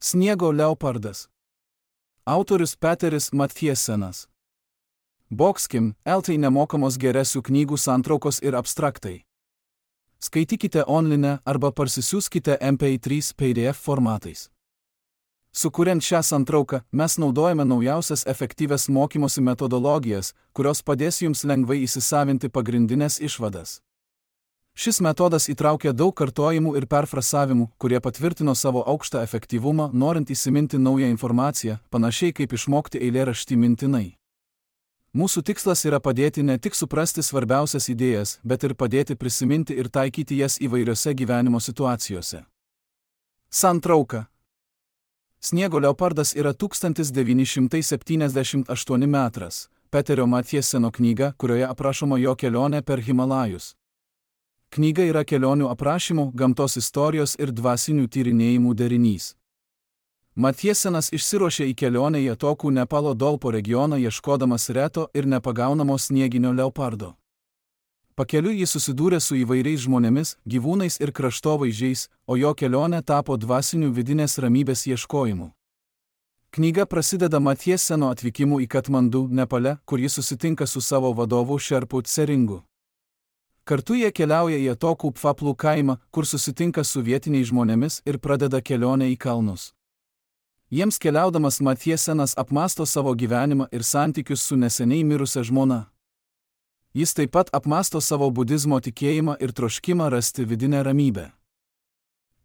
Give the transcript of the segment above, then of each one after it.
Sniego leopardas. Autorius Peteris Matthiesenas. Bokskim, LT nemokamos geresių knygų santraukos ir abstraktai. Skaitykite online arba parsisiųskite MP3 PDF formatais. Sukuriant šią santrauką, mes naudojame naujausias efektyvias mokymosi metodologijas, kurios padės jums lengvai įsisavinti pagrindinės išvadas. Šis metodas įtraukia daug kartojimų ir perfrasavimų, kurie patvirtino savo aukštą efektyvumą, norint įsiminti naują informaciją, panašiai kaip išmokti eilėraštį mintinai. Mūsų tikslas yra padėti ne tik suprasti svarbiausias idėjas, bet ir padėti prisiminti ir taikyti jas įvairiose gyvenimo situacijose. Santrauka. Sniego leopardas yra 1978 metras, Peterio Mathieseno knyga, kurioje aprašoma jo kelionė per Himalajus. Knyga yra kelionių aprašymų, gamtos istorijos ir dvasinių tyrinėjimų derinys. Mathiesenas išsiruošė į kelionę į atokų Nepalo Dolpo regioną ieškodamas reto ir nepagaunamo snieginio leopardo. Pakeliui jis susidūrė su įvairiais žmonėmis, gyvūnais ir kraštovaizdžiais, o jo kelionė tapo dvasinių vidinės ramybės ieškojimu. Knyga prasideda Mathieseno atvykimu į Katmandu, Nepale, kur jis susitinka su savo vadovu Šerpu Tseringu. Kartu jie keliauja į atokų Pfaplų kaimą, kur susitinka su vietiniais žmonėmis ir pradeda kelionę į kalnus. Jiems keliaudamas Mathiesenas apmąsto savo gyvenimą ir santykius su neseniai mirusia žmona. Jis taip pat apmąsto savo budizmo tikėjimą ir troškimą rasti vidinę ramybę.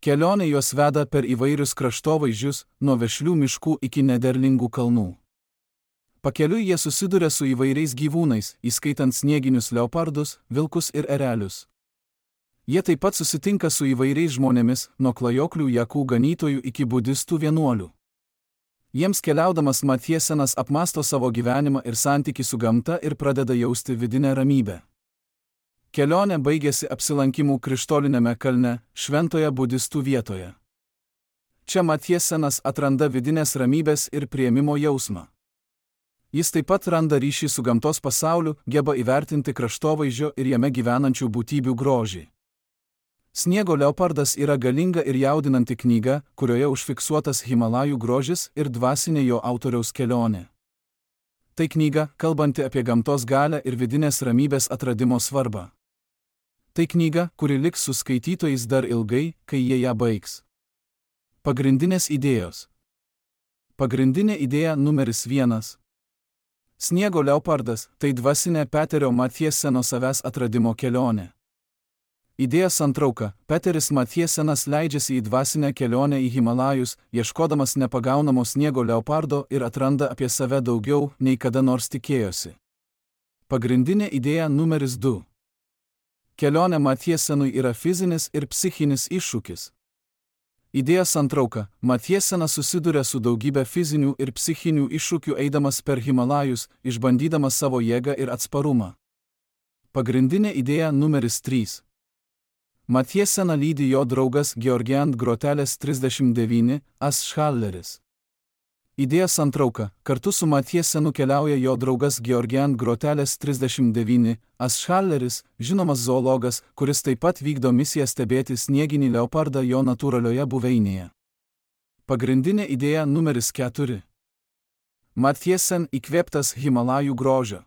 Kelionė juos veda per įvairius kraštovaizdžius, nuo vešlių miškų iki nederlingų kalnų. Pakeliui jie susiduria su įvairiais gyvūnais, įskaitant snieginius leopardus, vilkus ir erelius. Jie taip pat susitinka su įvairiais žmonėmis, nuo klajoklių jakų ganytojų iki budistų vienuolių. Jiems keliaudamas Mathiesenas apmąsto savo gyvenimą ir santykį su gamta ir pradeda jausti vidinę ramybę. Kelionė baigėsi apsilankimu Krištolinėme kalne, šventoje budistų vietoje. Čia Mathiesenas atranda vidinės ramybės ir priėmimo jausmą. Jis taip pat randa ryšį su gamtos pasauliu, geba įvertinti kraštovaizdžio ir jame gyvenančių būtybių grožį. Sniego leopardas yra galinga ir jaudinanti knyga, kurioje užfiksuotas Himalajų grožis ir dvasinė jo autoriaus kelionė. Tai knyga, kalbanti apie gamtos galią ir vidinės ramybės atradimo svarbą. Tai knyga, kuri liks su skaitytojais dar ilgai, kai jie ją baigs. Pagrindinės idėjos. Pagrindinė idėja numeris 1. Sniego leopardas – tai dvasinė Peterio Mathieseno savęs atradimo kelionė. Idėja santrauka – Peteris Mathiesenas leidžiasi į dvasinę kelionę į Himalajus, ieškodamas nepagaunamo sniego leopardo ir atranda apie save daugiau, nei kada nors tikėjosi. Pagrindinė idėja numeris 2. Kelionė Mathiesenui yra fizinis ir psichinis iššūkis. Idėja santrauka – Mathiesenas susiduria su daugybė fizinių ir psichinių iššūkių eidamas per Himalajus, išbandydamas savo jėgą ir atsparumą. Pagrindinė idėja numeris 3. Mathieseną lydi jo draugas Georgian Groteles 39, Aschalleris. Idėja santrauka – kartu su Mathiesenu keliauja jo draugas Georgian Groteles 39, Aschalleris, žinomas zoologas, kuris taip pat vykdo misiją stebėti snieginį leopardą jo natūralioje buveinėje. Pagrindinė idėja numeris 4. Mathiesen įkvėptas Himalajų grožio.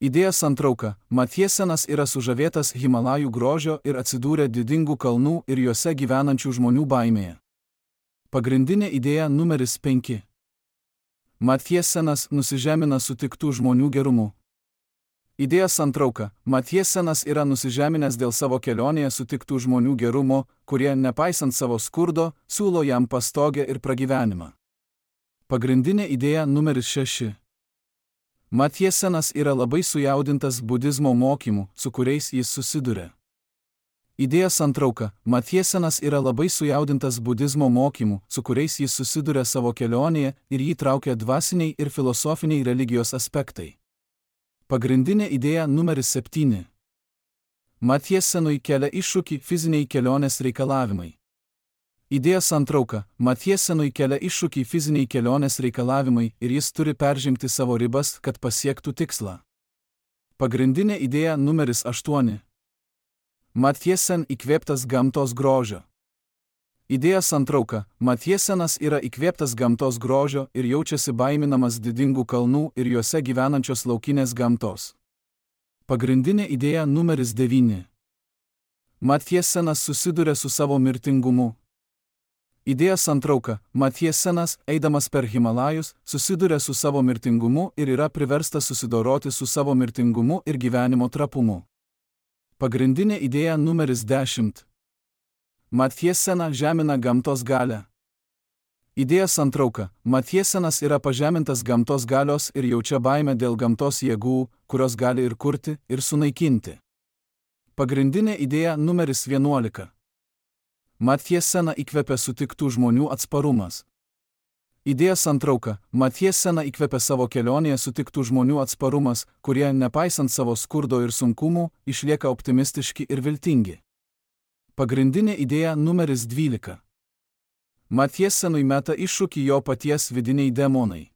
Idėja santrauka – Mathiesenas yra sužavėtas Himalajų grožio ir atsidūrė didingų kalnų ir juose gyvenančių žmonių baimėje. Pagrindinė idėja numeris 5. Mathiesenas nusižemina sutiktų žmonių gerumu. Idėja santrauka – Mathiesenas yra nusižeminęs dėl savo kelionėje sutiktų žmonių gerumo, kurie, nepaisant savo skurdo, siūlo jam pastogę ir pragyvenimą. Pagrindinė idėja numeris 6. Mathiesenas yra labai sujaudintas budizmo mokymų, su kuriais jis susiduria. Idėja santrauka – Mathiesenas yra labai sujaudintas budizmo mokymų, su kuriais jis susiduria savo kelionėje ir jį traukia dvasiniai ir filosofiniai religijos aspektai. Pagrindinė idėja numeris 7. Mathiesenui kelia iššūkį fiziniai kelionės reikalavimai. Idėja santrauka – Mathiesenui kelia iššūkį fiziniai kelionės reikalavimai ir jis turi peržengti savo ribas, kad pasiektų tikslą. Pagrindinė idėja numeris 8. Mathiesen įkvėptas gamtos grožio. Idėja santrauka. Matjesenas yra įkvėptas gamtos grožio ir jaučiasi baiminamas didingų kalnų ir juose gyvenančios laukinės gamtos. Pagrindinė idėja numeris 9. Matjesenas susiduria su savo mirtingumu. Idėja santrauka. Matjesenas, eidamas per Himalajus, susiduria su savo mirtingumu ir yra priverstas susidoroti su savo mirtingumu ir gyvenimo trapumu. Pagrindinė idėja numeris 10. Matjesena žemina gamtos galią. Idėja santrauka. Matjesenas yra pažemintas gamtos galios ir jaučia baimę dėl gamtos jėgų, kurios gali ir kurti, ir sunaikinti. Pagrindinė idėja numeris 11. Matjesena įkvepia sutiktų žmonių atsparumas. Idėja santrauka. Matjesena įkvepia savo kelionėje sutiktų žmonių atsparumas, kurie, nepaisant savo skurdo ir sunkumų, išlieka optimistiški ir viltingi. Pagrindinė idėja numeris 12. Matjesenui meta iššūkį jo paties vidiniai demonai.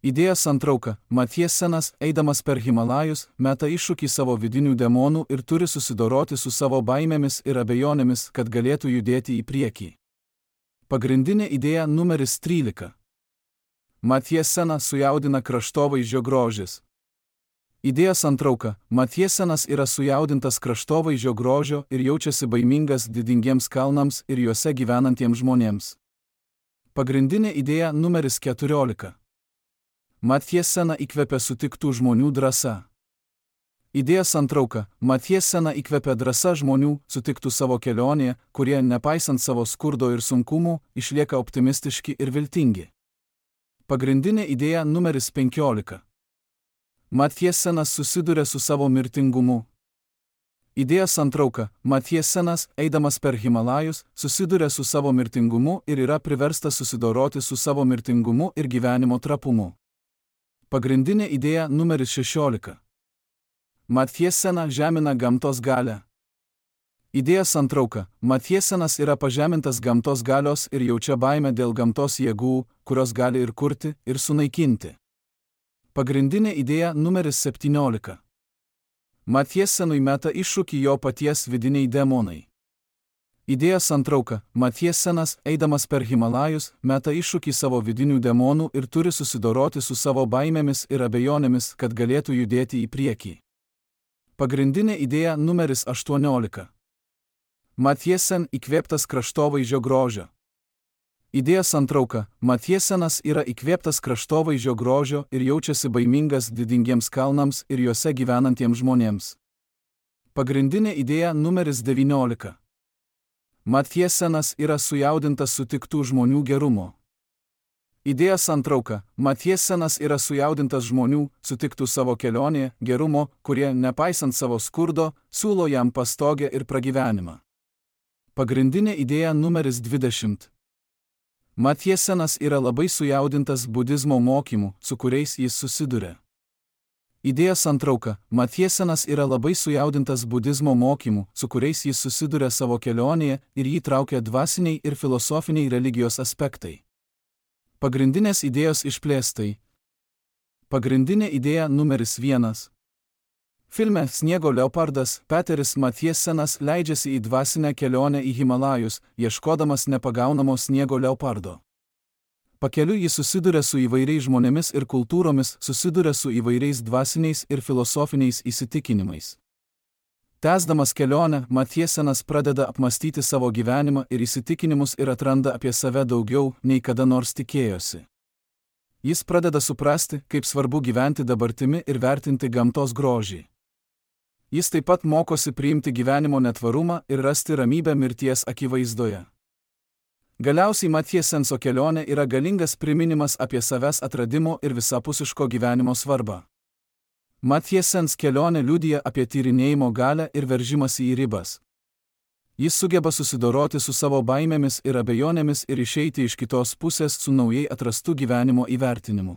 Idėja santrauka. Matjesenas, eidamas per Himalajus, meta iššūkį savo vidinių demonų ir turi susidoroti su savo baimėmis ir abejonėmis, kad galėtų judėti į priekį. Pagrindinė idėja numeris 13. Matjeseną sujaudina kraštovaizdžio grožis. Idėja santrauka. Matjesenas yra sujaudintas kraštovaizdžio grožio ir jaučiasi baimingas didingiems kalnams ir juose gyvenantiems žmonėms. Pagrindinė idėja numeris 14. Matjesena įkvepia sutiktų žmonių drąsa. Idėja santrauka. Matjesena įkvepia drąsa žmonių, sutiktų savo kelionėje, kurie, nepaisant savo skurdo ir sunkumų, išlieka optimistiški ir viltingi. Pagrindinė idėja numeris 15. Matjesenas susiduria su savo mirtingumu. Idėja santrauka. Matjesenas, eidamas per Himalajus, susiduria su savo mirtingumu ir yra priverstas susidoroti su savo mirtingumu ir gyvenimo trapumu. Pagrindinė idėja numeris 16. Matjesena žemina gamtos galią. Idėja santrauka. Matjesenas yra pažemintas gamtos galios ir jaučia baimę dėl gamtos jėgų, kurios gali ir kurti, ir sunaikinti. Pagrindinė idėja numeris 17. Matjesenui meta iššūkį jo paties vidiniai demonai. Idėja santrauka. Matjesenas, eidamas per Himalajus, meta iššūkį savo vidinių demonų ir turi susidoroti su savo baimėmis ir abejonėmis, kad galėtų judėti į priekį. Pagrindinė idėja numeris 18. Matjesen įkvėptas kraštovaizdžio grožio. Idėja santrauka. Matjesenas yra įkvėptas kraštovaizdžio grožio ir jaučiasi baimingas didingiems kalnams ir juose gyvenantiems žmonėms. Pagrindinė idėja numeris 19. Matjesenas yra sujaudintas sutiktų žmonių gerumo. Idėja santrauka. Matjesenas yra sujaudintas žmonių, sutiktų savo kelionėje, gerumo, kurie, nepaisant savo skurdo, siūlo jam pastogę ir pragyvenimą. Pagrindinė idėja numeris 20. Matjesenas yra labai sujaudintas budizmo mokymų, su kuriais jis susiduria. Idėja santrauka. Matjesenas yra labai sujaudintas budizmo mokymų, su kuriais jis susiduria savo kelionėje ir jį traukia dvasiniai ir filosofiniai religijos aspektai. Pagrindinės idėjos išplėstai. Pagrindinė idėja numeris 1. Filme Sniego leopardas Peteris Matjesenas leidžiasi į dvasinę kelionę į Himalajus, ieškodamas nepagaunamo sniego leopardo. Pakeliui jis susiduria su įvairiais žmonėmis ir kultūromis, susiduria su įvairiais dvasiniais ir filosofiniais įsitikinimais. Tęsdamas kelionę, Matjesenas pradeda apmastyti savo gyvenimą ir įsitikinimus ir atranda apie save daugiau, nei kada nors tikėjosi. Jis pradeda suprasti, kaip svarbu gyventi dabartimi ir vertinti gamtos grožį. Jis taip pat mokosi priimti gyvenimo netvarumą ir rasti ramybę mirties akivaizdoje. Galiausiai Matjesenso kelionė yra galingas priminimas apie savęs atradimo ir visapusiško gyvenimo svarbą. Matjesens kelionė liudija apie tyrinėjimo galią ir veržimąsi į ribas. Jis sugeba susidoroti su savo baimėmis ir abejonėmis ir išeiti iš kitos pusės su naujai atrastu gyvenimo įvertinimu.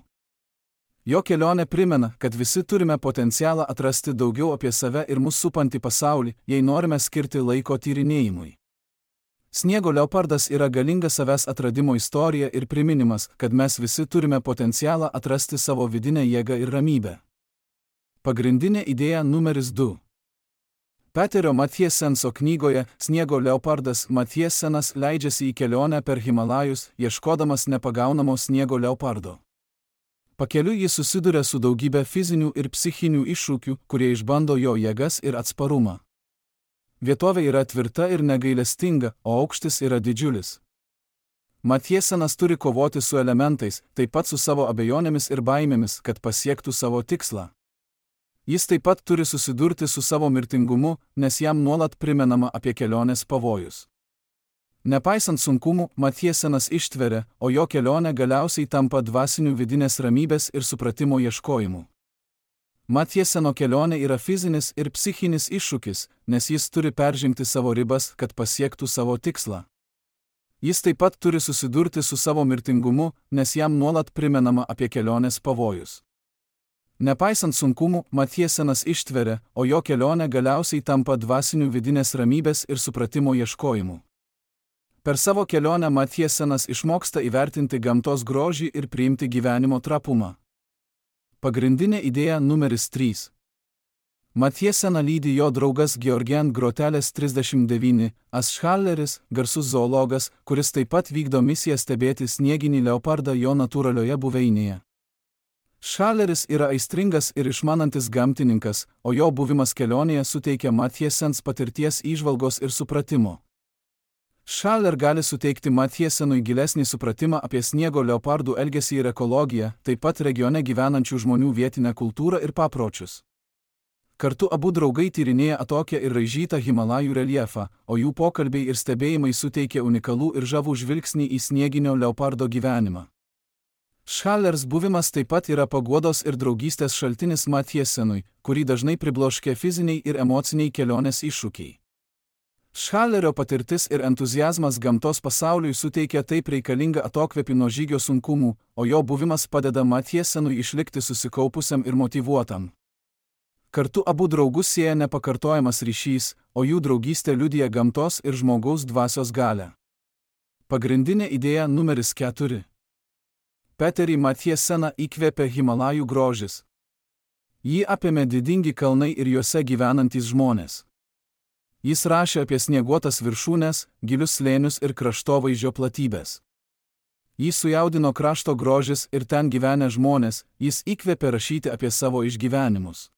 Jo kelionė primena, kad visi turime potencialą atrasti daugiau apie save ir mus supantį pasaulį, jei norime skirti laiko tyrinėjimui. Sniego leopardas yra galinga savęs atradimo istorija ir priminimas, kad mes visi turime potencialą atrasti savo vidinę jėgą ir ramybę. Pagrindinė idėja numeris 2. Peterio Matjesenso knygoje Sniego leopardas Matjesenas leidžiasi į kelionę per Himalajus, ieškodamas nepagaunamo sniego leopardo. Pakeliui jis susiduria su daugybė fizinių ir psichinių iššūkių, kurie išbando jo jėgas ir atsparumą. Vietovė yra tvirta ir negailestinga, o aukštis yra didžiulis. Matjesenas turi kovoti su elementais, taip pat su savo abejonėmis ir baimėmis, kad pasiektų savo tikslą. Jis taip pat turi susidurti su savo mirtingumu, nes jam nuolat primenama apie kelionės pavojus. Nepaisant sunkumų, Matjesenas ištveria, o jo kelionė galiausiai tampa dvasinių vidinės ramybės ir supratimo ieškojimu. Matjeseno kelionė yra fizinis ir psichinis iššūkis, nes jis turi peržengti savo ribas, kad pasiektų savo tikslą. Jis taip pat turi susidurti su savo mirtingumu, nes jam nuolat primenama apie kelionės pavojus. Nepaisant sunkumų, Matjesenas ištveria, o jo kelionė galiausiai tampa dvasinių vidinės ramybės ir supratimo ieškojimu. Per savo kelionę Matjesenas išmoksta įvertinti gamtos grožį ir priimti gyvenimo trapumą. Pagrindinė idėja numeris 3. Matjeseną lydi jo draugas Georgian Grotelės 39, Aschalleris, garsus zoologas, kuris taip pat vykdo misiją stebėti snieginį leopardą jo natūralioje buveinėje. Schalleris yra aistringas ir išmanantis gamtininkas, o jo buvimas kelionėje suteikia Matjesens patirties įžvalgos ir supratimo. Schaller gali suteikti Matjesenui gilesnį supratimą apie sniego leopardų elgesį ir ekologiją, taip pat regione gyvenančių žmonių vietinę kultūrą ir papročius. Kartu abu draugai tyrinėja atokią ir raižytą Himalajų reljefą, o jų pokalbiai ir stebėjimai suteikia unikalų ir žavų žvilgsnį į snieginio leopardo gyvenimą. Schallers buvimas taip pat yra paguodos ir draugystės šaltinis Matjesenui, kurį dažnai pribloškia fiziniai ir emociniai kelionės iššūkiai. Schallerio patirtis ir entuziazmas gamtos pasauliui suteikia taip reikalingą atokvėpį nuo žygio sunkumų, o jo buvimas padeda Matjesenui išlikti susikaupusiam ir motyvuotam. Kartu abu draugus sieja nepakartojamas ryšys, o jų draugystė liudija gamtos ir žmogaus dvasios galią. Pagrindinė idėja numeris 4. Peterį Matjeseną įkvėpė Himalajų grožis. Jį apėmė didingi kalnai ir juose gyvenantys žmonės. Jis rašė apie snieguotas viršūnes, gilius slėnius ir kraštovaizdžio platybės. Jį sujaudino krašto grožis ir ten gyvenę žmonės, jis įkvėpė rašyti apie savo išgyvenimus.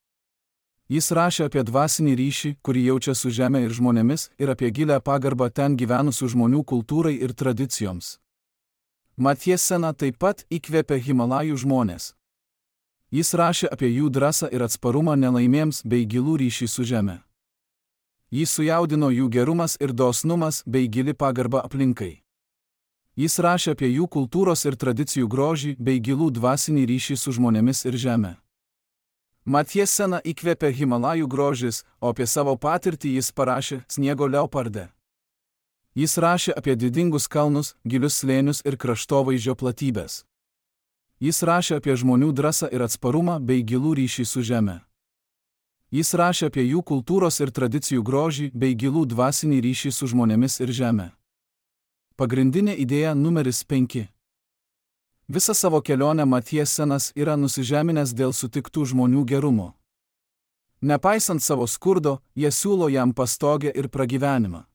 Jis rašė apie dvasinį ryšį, kurį jaučia su žeme ir žmonėmis, ir apie gilę pagarbą ten gyvenusių žmonių kultūrai ir tradicijoms. Matjeseną taip pat įkvėpė Himalajų žmonės. Jis rašė apie jų drąsą ir atsparumą nelaimėms bei gilų ryšį su žeme. Jį sujaudino jų gerumas ir dosnumas bei gili pagarba aplinkai. Jis rašė apie jų kultūros ir tradicijų grožį bei gilų dvasinį ryšį su žmonėmis ir žeme. Matjeseną įkvėpė Himalajų grožis, o apie savo patirtį jis parašė Sniego leoparde. Jis rašė apie didingus kalnus, gilius slėnius ir kraštovaizdžio platybės. Jis rašė apie žmonių drąsą ir atsparumą bei gilų ryšį su žeme. Jis rašė apie jų kultūros ir tradicijų grožį bei gilų dvasinį ryšį su žmonėmis ir žeme. Pagrindinė idėja numeris 5. Visą savo kelionę Matjesenas yra nusižeminęs dėl sutiktų žmonių gerumo. Nepaisant savo skurdo, jie siūlo jam pastogę ir pragyvenimą.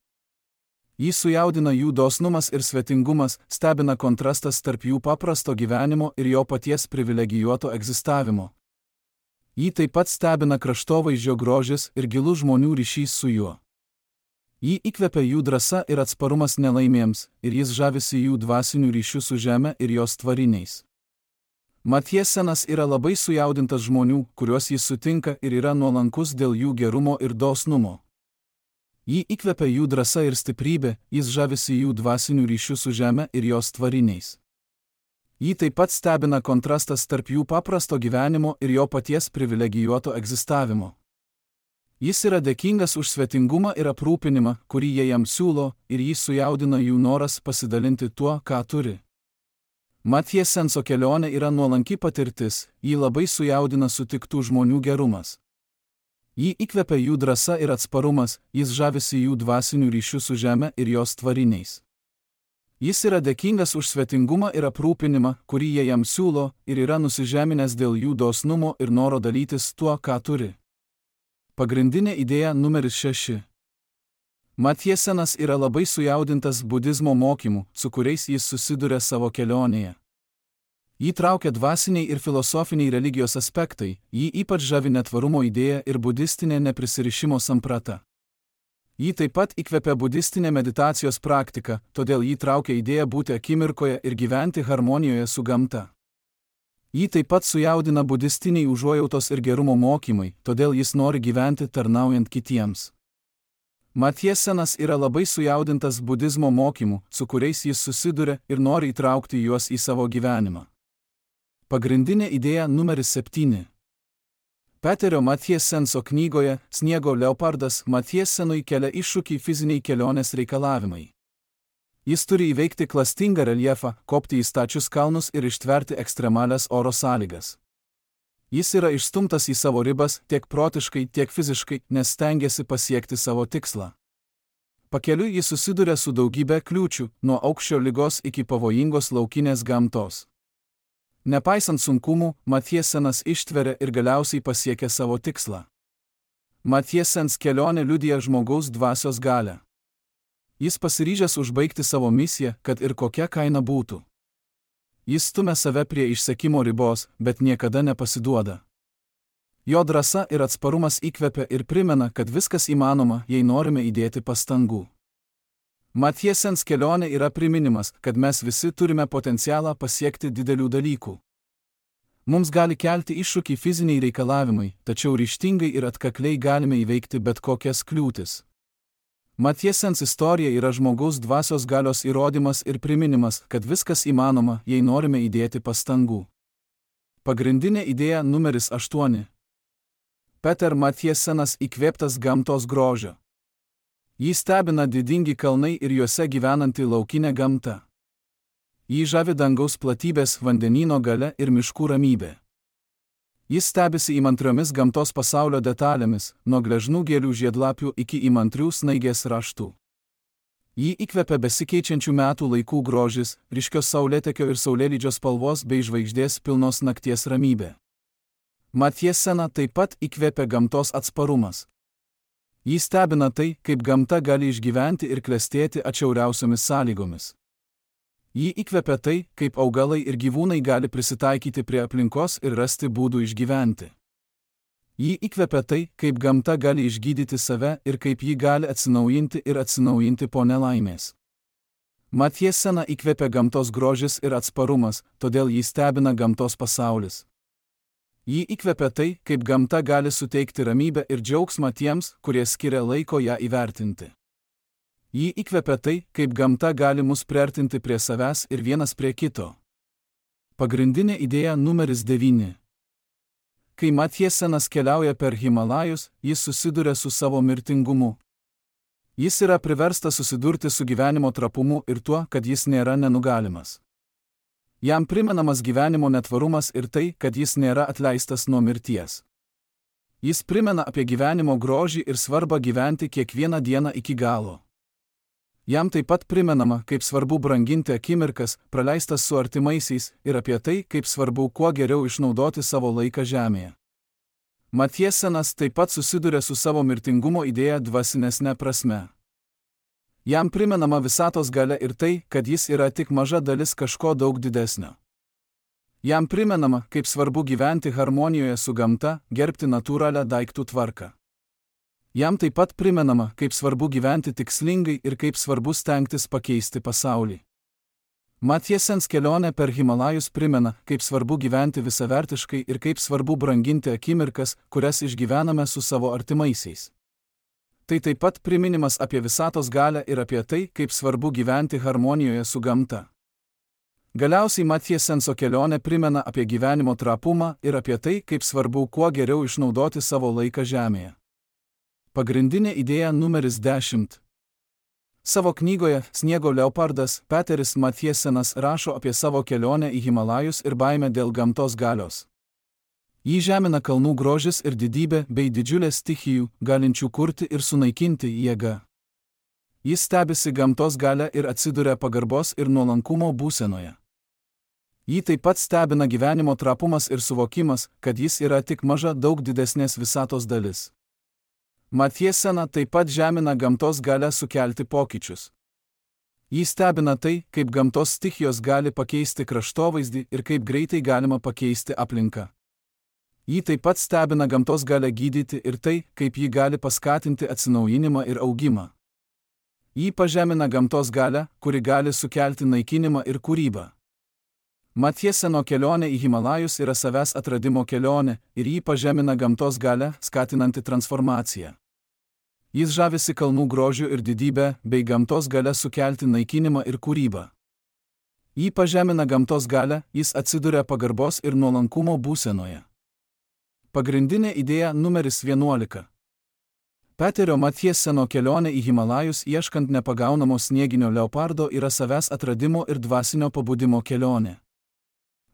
Jį sujaudina jų dosnumas ir svetingumas, stebina kontrastas tarp jų paprasto gyvenimo ir jo paties privilegijuoto egzistavimo. Jį taip pat stebina kraštovaizdžio grožis ir gilus žmonių ryšys su juo. Jį įkvepia jų drąsa ir atsparumas nelaimėms, ir jis žavisi jų dvasinių ryšių su žeme ir jos tvariniais. Matjesenas yra labai sujaudintas žmonių, kuriuos jis sutinka, ir yra nuolankus dėl jų gerumo ir dosnumo. Jį įkvepia jų drąsa ir stiprybė, jis žavisi jų dvasinių ryšių su žeme ir jos tvariniais. Jį taip pat stebina kontrastas tarp jų paprasto gyvenimo ir jo paties privilegijuoto egzistavimo. Jis yra dėkingas už svetingumą ir aprūpinimą, kurį jie jam siūlo, ir jį sujaudina jų noras pasidalinti tuo, ką turi. Matjesenso kelionė yra nuolanki patirtis, jį labai sujaudina sutiktų žmonių gerumas. Jį įkvepia jų drąsa ir atsparumas, jis žavisi jų dvasinių ryšių su žeme ir jos tvariniais. Jis yra dėkingas už svetingumą ir aprūpinimą, kurį jie jam siūlo, ir yra nusižeminęs dėl jų dosnumo ir noro dalytis tuo, ką turi. Pagrindinė idėja numeris 6. Matjesenas yra labai sujaudintas budizmo mokymų, su kuriais jis susiduria savo kelionėje. Jį traukia dvasiniai ir filosofiniai religijos aspektai, jį ypač žavi netvarumo idėja ir budistinė neprisirišimo samprata. Jį taip pat įkvepia budistinė meditacijos praktika, todėl jį traukia idėja būti akimirkoje ir gyventi harmonijoje su gamta. Jį taip pat sujaudina budistiniai užuojautos ir gerumo mokymai, todėl jis nori gyventi tarnaujant kitiems. Matjesenas yra labai sujaudintas budizmo mokymų, su kuriais jis susiduria ir nori įtraukti juos į savo gyvenimą. Pagrindinė idėja numeris 7. Peterio Matjesenso knygoje Sniego leopardas Matjesenui kelia iššūkį fiziniai kelionės reikalavimai. Jis turi įveikti klastingą reljefą, kopti į stačius kalnus ir ištverti ekstremalias oro sąlygas. Jis yra išstumtas į savo ribas tiek protiškai, tiek fiziškai, nes stengiasi pasiekti savo tikslą. Pakeliui jis susiduria su daugybė kliūčių, nuo aukščio ligos iki pavojingos laukinės gamtos. Nepaisant sunkumų, Matjesenas ištveria ir galiausiai pasiekia savo tikslą. Matjesens kelionė liudija žmogaus dvasios galią. Jis pasiryžęs užbaigti savo misiją, kad ir kokia kaina būtų. Jis stumia save prie išsekimo ribos, bet niekada nepasiduoda. Jo drąsa ir atsparumas įkvepia ir primena, kad viskas įmanoma, jei norime įdėti pastangų. Matjesens kelionė yra priminimas, kad mes visi turime potencialą pasiekti didelių dalykų. Mums gali kelti iššūkį fiziniai reikalavimai, tačiau ryžtingai ir atkakliai galime įveikti bet kokias kliūtis. Matjesens istorija yra žmogaus dvasios galios įrodymas ir priminimas, kad viskas įmanoma, jei norime įdėti pastangų. Pagrindinė idėja numeris 8. Peter Matjesenas įkvėptas gamtos grožio. Jį stebina didingi kalnai ir juose gyvenanti laukinė gamta. Jį žavi dangaus platybės, vandenyno galia ir miškų ramybė. Jis stebisi įmantriomis gamtos pasaulio detalėmis, nuo gležnų gėlių žiedlapių iki įmantrių snaigės raštų. Jį įkvepia besikeičiančių metų laikų grožis, ryškios saulėtekio ir saulėlydžio spalvos bei žvaigždės pilnos nakties ramybė. Matjeseną taip pat įkvepia gamtos atsparumas. Jį stebina tai, kaip gamta gali išgyventi ir klestėti atšiauriausiomis sąlygomis. Jį įkvepia tai, kaip augalai ir gyvūnai gali prisitaikyti prie aplinkos ir rasti būdų išgyventi. Jį įkvepia tai, kaip gamta gali išgydyti save ir kaip ji gali atsinaujinti po nelaimės. Matjeseną įkvepia gamtos grožis ir atsparumas, todėl jį stebina gamtos pasaulis. Jį įkvepia tai, kaip gamta gali suteikti ramybę ir džiaugsmą tiems, kurie skiria laiko ją įvertinti. Jį įkvepia tai, kaip gamta gali mus priartinti prie savęs ir vienas prie kito. Pagrindinė idėja numeris 9. Kai Matjesenas keliauja per Himalajus, jis susiduria su savo mirtingumu. Jis yra priverstas susidurti su gyvenimo trapumu ir tuo, kad jis nėra nenugalimas. Jam primenamas gyvenimo netvarumas ir tai, kad jis nėra atleistas nuo mirties. Jis primena apie gyvenimo grožį ir svarbą gyventi kiekvieną dieną iki galo. Jam taip pat primenama, kaip svarbu branginti akimirkas, praleistas su artimaisiais, ir apie tai, kaip svarbu kuo geriau išnaudoti savo laiką žemėje. Matjesenas taip pat susiduria su savo mirtingumo idėja dvasinesne prasme. Jam primenama visatos galia ir tai, kad jis yra tik maža dalis kažko daug didesnio. Jam primenama, kaip svarbu gyventi harmonijoje su gamta, gerbti natūralią daiktų tvarką. Jam taip pat primenama, kaip svarbu gyventi tikslingai ir kaip svarbu stengtis pakeisti pasaulį. Matjesens kelionė per Himalajus primena, kaip svarbu gyventi visavertiškai ir kaip svarbu branginti akimirkas, kurias išgyvename su savo artimaisiais. Tai taip pat priminimas apie visatos galią ir apie tai, kaip svarbu gyventi harmonijoje su gamta. Galiausiai Matjesenso kelionė primena apie gyvenimo trapumą ir apie tai, kaip svarbu kuo geriau išnaudoti savo laiką žemėje. Pagrindinė idėja numeris 10. Savo knygoje Sniego leopardas Peteris Matjesenas rašo apie savo kelionę į Himalajus ir baimę dėl gamtos galios. Jį žemina kalnų grožis ir didybė bei didžiulė stichijų, galinčių kurti ir sunaikinti jėga. Jis stebisi gamtos galia ir atsiduria pagarbos ir nuolankumo būsenoje. Jį taip pat stebina gyvenimo trapumas ir suvokimas, kad jis yra tik maža daug didesnės visatos dalis. Matjesena taip pat žemina gamtos galią sukelti pokyčius. Jį stebina tai, kaip gamtos stichijos gali pakeisti kraštovaizdį ir kaip greitai galima pakeisti aplinką. Jį taip pat stebina gamtos galią gydyti ir tai, kaip ji gali paskatinti atsinaujinimą ir augimą. Jį pažemina gamtos galią, kuri gali sukelti naikinimą ir kūrybą. Matjeseno kelionė į Himalajus yra savęs atradimo kelionė ir jį pažemina gamtos galią, skatinanti transformaciją. Jis žavisi kalnų grožiu ir didybę, bei gamtos galią sukelti naikinimą ir kūrybą. Jį pažemina gamtos galią, jis atsiduria pagarbos ir nuolankumo būsenoje. Pagrindinė idėja numeris 11. Peterio Matjeseno kelionė į Himalajus ieškant nepagaunamo snieginio leopardo yra savęs atradimo ir dvasinio pabudimo kelionė.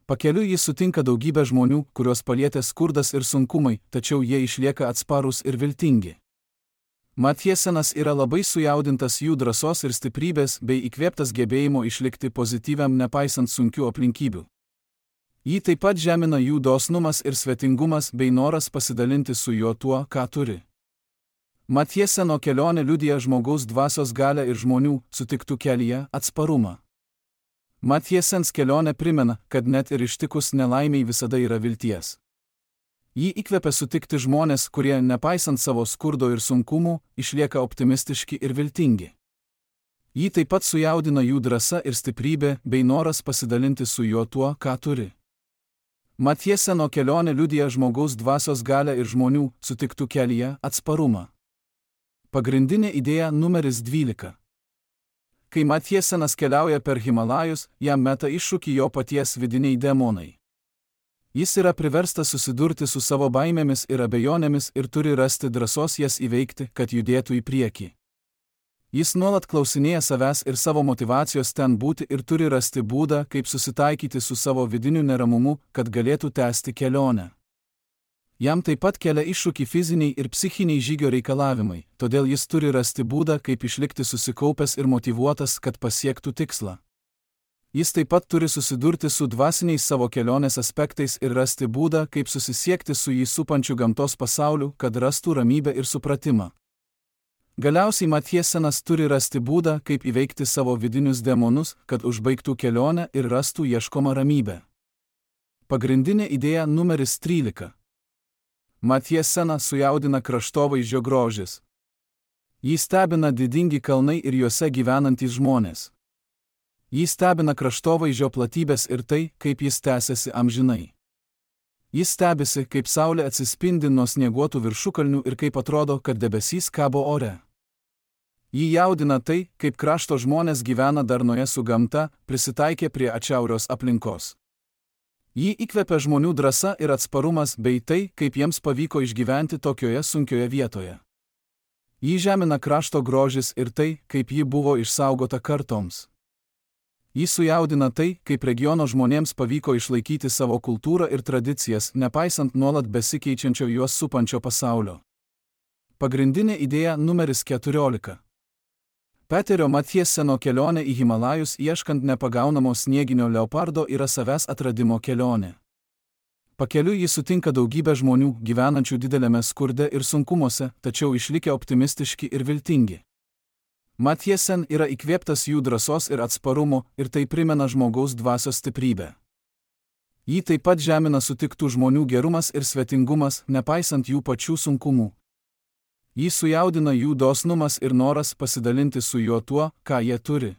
Pakeliui jis sutinka daugybę žmonių, kuriuos palietė skurdas ir sunkumai, tačiau jie išlieka atsparūs ir viltingi. Matjesenas yra labai sujaudintas jų drąsos ir stiprybės bei įkvėptas gebėjimo išlikti pozityviam nepaisant sunkių aplinkybių. Jį taip pat žemina jų dosnumas ir svetingumas bei noras pasidalinti su juo tuo, ką turi. Matjeseno kelionė liudija žmogaus dvasios galią ir žmonių, sutiktų kelyje, atsparumą. Matjesens kelionė primena, kad net ir ištikus nelaimiai visada yra vilties. Jį įkvepia sutikti žmonės, kurie, nepaisant savo skurdo ir sunkumų, išlieka optimistiški ir viltingi. Jį taip pat sujaudina jų drąsa ir stiprybė bei noras pasidalinti su juo tuo, ką turi. Matjeseno kelionė liudija žmogaus dvasios galią ir žmonių, sutiktų kelyje, atsparumą. Pagrindinė idėja numeris 12. Kai Matjesenas keliauja per Himalajus, jam meta iššūkį jo paties vidiniai demonai. Jis yra priverstas susidurti su savo baimėmis ir abejonėmis ir turi rasti drąsos jas įveikti, kad judėtų į priekį. Jis nuolat klausinėja savęs ir savo motyvacijos ten būti ir turi rasti būdą, kaip susitaikyti su savo vidiniu neramumu, kad galėtų tęsti kelionę. Jam taip pat kelia iššūkį fiziniai ir psichiniai žygio reikalavimai, todėl jis turi rasti būdą, kaip išlikti susikaupęs ir motyvuotas, kad pasiektų tikslą. Jis taip pat turi susidurti su dvasiniais savo kelionės aspektais ir rasti būdą, kaip susisiekti su jį supančiu gamtos pasauliu, kad rastų ramybę ir supratimą. Galiausiai Matjesenas turi rasti būdą, kaip įveikti savo vidinius demonus, kad užbaigtų kelionę ir rastų ieškomą ramybę. Pagrindinė idėja numeris 13. Matjeseną sujaudina kraštovaizdžio grožis. Jį stebina didingi kalnai ir juose gyvenantys žmonės. Jį stebina kraštovaizdžio platybės ir tai, kaip jis tęsiasi amžinai. Jis stebisi, kaip saulė atsispindi nuo snieguotų viršukalnių ir kaip atrodo, kad debesys kabo ore. Jį jaudina tai, kaip krašto žmonės gyvena darnoje su gamta, prisitaikė prie atšiaurios aplinkos. Jį įkvepia žmonių drąsa ir atsparumas bei tai, kaip jiems pavyko išgyventi tokioje sunkioje vietoje. Jį žemina krašto grožis ir tai, kaip ji buvo išsaugota kartoms. Jį sujaudina tai, kaip regiono žmonėms pavyko išlaikyti savo kultūrą ir tradicijas, nepaisant nuolat besikeičiančio juos supančio pasaulio. Pagrindinė idėja numeris 14. Peterio Matjeseno kelionė į Himalajus ieškant nepagaunamo snieginio leopardo yra savęs atradimo kelionė. Pakeliui jis sutinka daugybę žmonių, gyvenančių dideliame skurde ir sunkumuose, tačiau išlikę optimistiški ir viltingi. Matjesen yra įkvėptas jų drąsos ir atsparumo ir tai primena žmogaus dvasios stiprybę. Jį taip pat žemina sutiktų žmonių gerumas ir svetingumas, nepaisant jų pačių sunkumų. Jį sujaudina jų dosnumas ir noras pasidalinti su juo tuo, ką jie turi.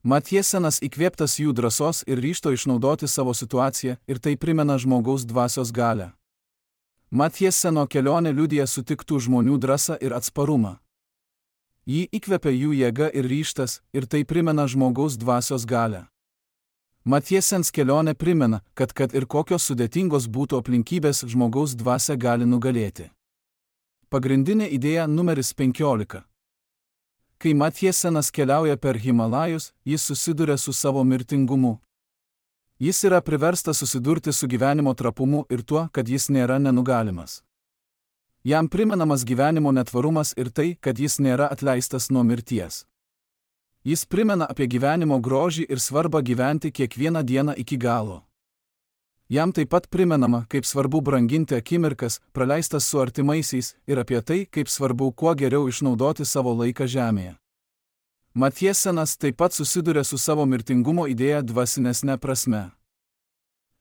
Matjesenas įkvėptas jų drąsos ir ryžto išnaudoti savo situaciją ir tai primena žmogaus dvasios galią. Matjeseno kelionė liudija sutiktų žmonių drąsą ir atsparumą. Jį įkvepia jų jėga ir ryžtas ir tai primena žmogaus dvasios galią. Matjesens kelionė primena, kad ir kokios sudėtingos būtų aplinkybės, žmogaus dvasia gali nugalėti. Pagrindinė idėja numeris 15. Kai Matjesenas keliauja per Himalajus, jis susiduria su savo mirtingumu. Jis yra priverstas susidurti su gyvenimo trapumu ir tuo, kad jis nėra nenugalimas. Jam primenamas gyvenimo netvarumas ir tai, kad jis nėra atleistas nuo mirties. Jis primena apie gyvenimo grožį ir svarbą gyventi kiekvieną dieną iki galo. Jam taip pat primenama, kaip svarbu branginti akimirkas, praleistas su artimaisiais, ir apie tai, kaip svarbu kuo geriau išnaudoti savo laiką žemėje. Matjesenas taip pat susiduria su savo mirtingumo idėja dvasinesne prasme.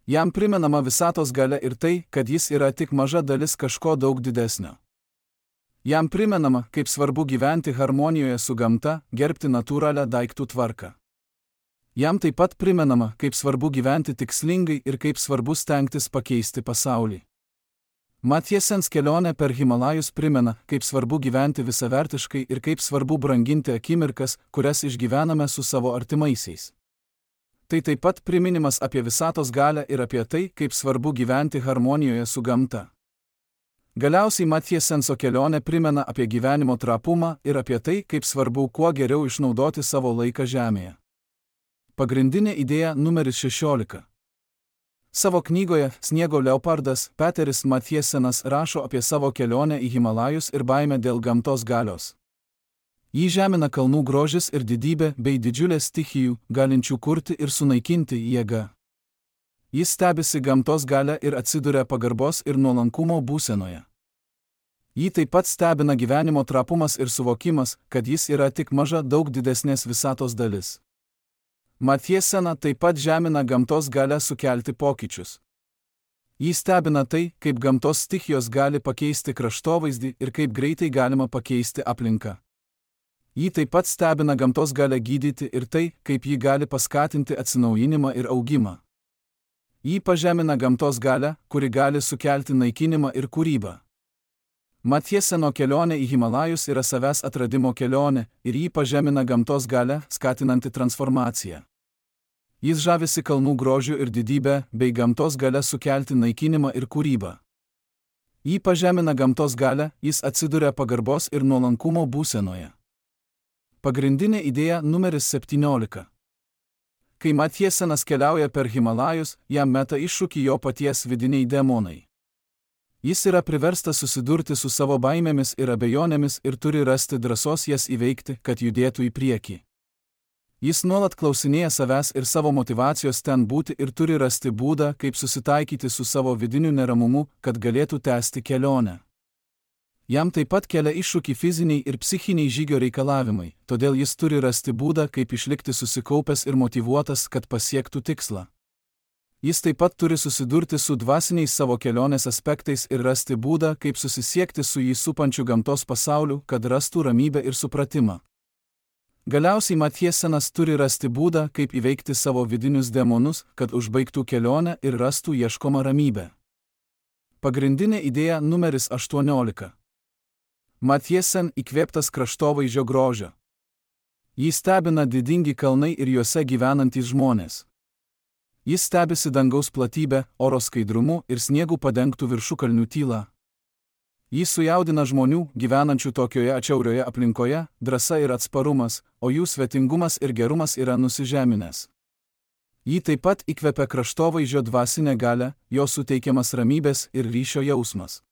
Jam primenama visatos galia ir tai, kad jis yra tik maža dalis kažko daug didesnio. Jam primenama, kaip svarbu gyventi harmonijoje su gamta, gerbti natūralią daiktų tvarką. Jam taip pat primenama, kaip svarbu gyventi tikslingai ir kaip svarbu stengtis pakeisti pasaulį. Matjesens kelionė per Himalajus primena, kaip svarbu gyventi visavertiškai ir kaip svarbu branginti akimirkas, kurias išgyvename su savo artimaisiais. Tai taip pat priminimas apie visatos galią ir apie tai, kaip svarbu gyventi harmonijoje su gamta. Galiausiai Matjesenso kelionė primena apie gyvenimo trapumą ir apie tai, kaip svarbu kuo geriau išnaudoti savo laiką žemėje. Pagrindinė idėja numeris 16. Savo knygoje Sniego leopardas Peteris Matjesenas rašo apie savo kelionę į Himalajus ir baimę dėl gamtos galios. Jį žemina kalnų grožis ir didybė bei didžiulė stichijų, galinčių kurti ir sunaikinti jėga. Jis stebisi gamtos galia ir atsiduria pagarbos ir nuolankumo būsenoje. Jį taip pat stebina gyvenimo trapumas ir suvokimas, kad jis yra tik maža daug didesnės visatos dalis. Matjesena taip pat žemina gamtos galią sukelti pokyčius. Jį stebina tai, kaip gamtos stichijos gali pakeisti kraštovaizdį ir kaip greitai galima pakeisti aplinką. Jį taip pat stebina gamtos galią gydyti ir tai, kaip ji gali paskatinti atsinaujinimą ir augimą. Jį pažemina gamtos galią, kuri gali sukelti naikinimą ir kūrybą. Matjeseno kelionė į Himalajus yra savęs atradimo kelionė ir jį pažemina gamtos galią, skatinanti transformaciją. Jis žavisi kalnų grožiu ir didybę, bei gamtos galią sukelti naikinimą ir kūrybą. Jį pažemina gamtos galią, jis atsiduria pagarbos ir nuolankumo būsenoje. Pagrindinė idėja numeris 17. Kai Matjesenas keliauja per Himalajus, jam meta iššūkį jo paties vidiniai demonai. Jis yra priverstas susidurti su savo baimėmis ir abejonėmis ir turi rasti drąsos jas įveikti, kad judėtų į priekį. Jis nuolat klausinėja savęs ir savo motyvacijos ten būti ir turi rasti būdą, kaip susitaikyti su savo vidiniu neramumu, kad galėtų tęsti kelionę. Jam taip pat kelia iššūkį fiziniai ir psichiniai žygio reikalavimai, todėl jis turi rasti būdą, kaip išlikti susikaupęs ir motyvuotas, kad pasiektų tikslą. Jis taip pat turi susidurti su dvasiniais savo kelionės aspektais ir rasti būdą, kaip susisiekti su jį supančiu gamtos pasauliu, kad rastų ramybę ir supratimą. Galiausiai Matjesenas turi rasti būdą, kaip įveikti savo vidinius demonus, kad užbaigtų kelionę ir rastų ieškomą ramybę. Pagrindinė idėja numeris 18. Matjesen įkvėptas kraštovaizdžio grožio. Jį stebina didingi kalnai ir juose gyvenantys žmonės. Jis stebisi dangaus platybę, oro skaidrumu ir sniegų padengtų viršukalnių tylą. Jį sujaudina žmonių, gyvenančių tokioje atšiaurioje aplinkoje, drąsa ir atsparumas, o jų svetingumas ir gerumas yra nusižeminęs. Jį taip pat įkvepia kraštovaizdžio dvasinė galia, jo suteikiamas ramybės ir ryšio jausmas.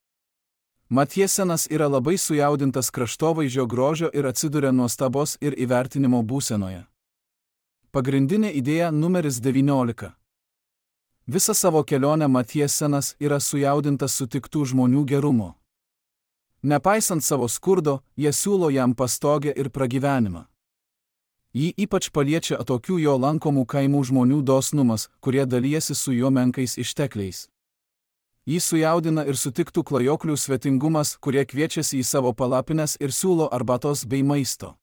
Matjesenas yra labai sujaudintas kraštovaizdžio grožio ir atsiduria nuostabos ir įvertinimo būsenoje. Pagrindinė idėja numeris 19. Visą savo kelionę Matjesenas yra sujaudintas sutiktų žmonių gerumo. Nepaisant savo skurdo, jie siūlo jam pastogę ir pragyvenimą. Jį ypač paliečia atokių jo lankomų kaimų žmonių dosnumas, kurie dalijasi su juo menkais ištekliais. Jį sujaudina ir sutiktų klajoklių svetingumas, kurie kviečiasi į savo palapines ir siūlo arbatos bei maisto.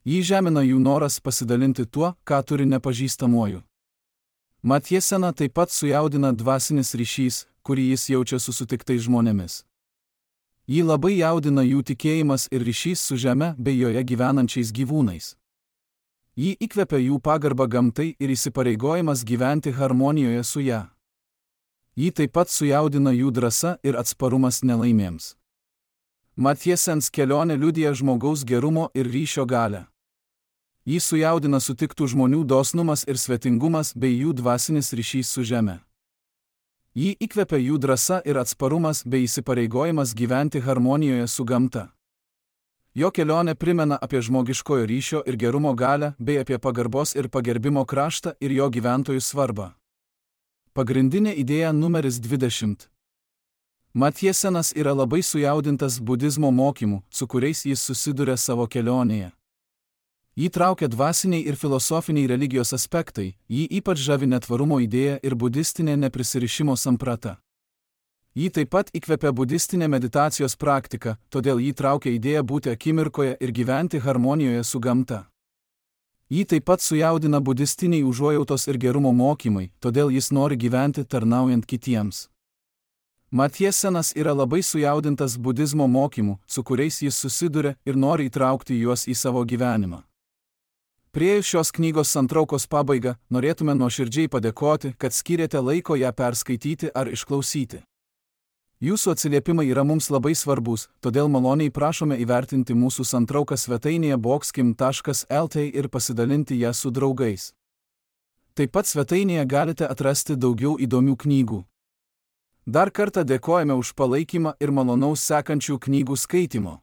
Jį žemina jų noras pasidalinti tuo, ką turi nepažįstamuoju. Matjesena taip pat sujaudina dvasinis ryšys, kurį jis jaučia su sutiktais žmonėmis. Jį labai jaudina jų tikėjimas ir ryšys su žeme bei joje gyvenančiais gyvūnais. Jį įkvepia jų pagarba gamtai ir įsipareigojimas gyventi harmonijoje su ją. Jį taip pat sujaudina jų drąsa ir atsparumas nelaimėms. Matjesens kelionė liudija žmogaus gerumo ir ryšio galią. Jį sujaudina sutiktų žmonių dosnumas ir svetingumas bei jų dvasinis ryšys su žeme. Jį įkvepia jų drąsa ir atsparumas bei įsipareigojimas gyventi harmonijoje su gamta. Jo kelionė primena apie žmogiškojo ryšio ir gerumo galią bei apie pagarbos ir pagerbimo kraštą ir jo gyventojų svarbą. Pagrindinė idėja numeris 20. Matjesenas yra labai sujaudintas budizmo mokymų, su kuriais jis susiduria savo kelionėje. Jį traukia dvasiniai ir filosofiniai religijos aspektai, jį ypač žavi netvarumo idėja ir budistinė neprisirišimo samprata. Jį taip pat įkvepia budistinė meditacijos praktika, todėl jį traukia idėja būti akimirkoje ir gyventi harmonijoje su gamta. Jį taip pat sujaudina budistiniai užuojautos ir gerumo mokymai, todėl jis nori gyventi tarnaujant kitiems. Matjesenas yra labai sujaudintas budizmo mokymų, su kuriais jis susiduria ir nori įtraukti juos į savo gyvenimą. Priėjus šios knygos santraukos pabaigą, norėtume nuoširdžiai padėkoti, kad skyrėte laiko ją perskaityti ar išklausyti. Jūsų atsiliepimai yra mums labai svarbus, todėl maloniai prašome įvertinti mūsų santrauką svetainėje boxkim.lt ir pasidalinti ją su draugais. Taip pat svetainėje galite atrasti daugiau įdomių knygų. Dar kartą dėkojame už palaikymą ir malonaus sekančių knygų skaitimo.